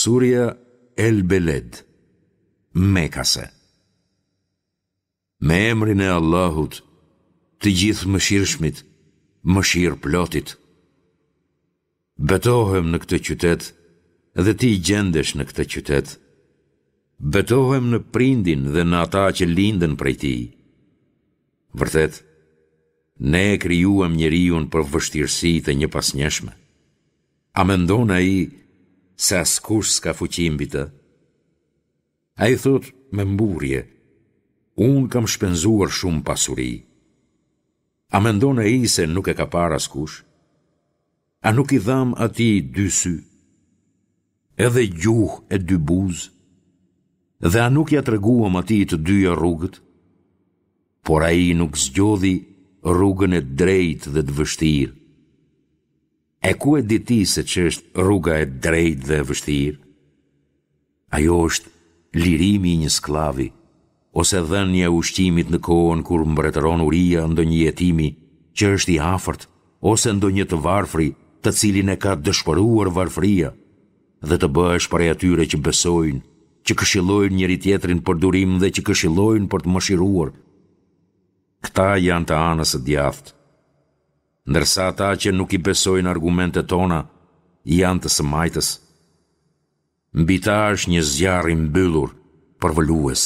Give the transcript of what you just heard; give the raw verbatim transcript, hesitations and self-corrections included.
Surja El Beled, Mekase. Me emrin e Allahut, të Gjithëmëshirshmit, mëshirëplotit. Betohem në këtë qytet dhe ti gjendesh në këtë qytet. Betohem në prindin dhe në ata që lindën prej tij. Vërtet, ne e krijuam njeriun për vështirësi të njëpasnjëshme. A mendon ai se askush s'ka fuqi mbi të? Ai thotë me mburrje, unë kam shpenzuar shumë pasuri. A mendon ai se nuk e ka parë askush? A nuk i dhamë atij dy sy? Edhe gjuhë e dy buzë? Dhe a nuk ia treguam atij të dyja rrugët? Por ai nuk zgjodhi rrugën e drejtë dhe të vështirë. E ku e di ti se ç'është rruga e drejtë dhe e vështirë? Ajo është lirimi i një skllavi, ose dhënia e ushqimit në kohën kur mbretëron uria ndonjë jetimi që është i afërt, ose ndonjë të varfri të cilin e ka dëshpëruar varfëria, dhe të bëhesh prej atyre që besojnë, që këshillojnë njëri-tjetrin për durim dhe që këshillojnë për të mëshiruar. Këta janë të anës së djathtë. Ndërsa ata që nuk i besojnë argumentet tona janë të së majtës. Mbi ta është një zjarr i mbyllur, përvëlues.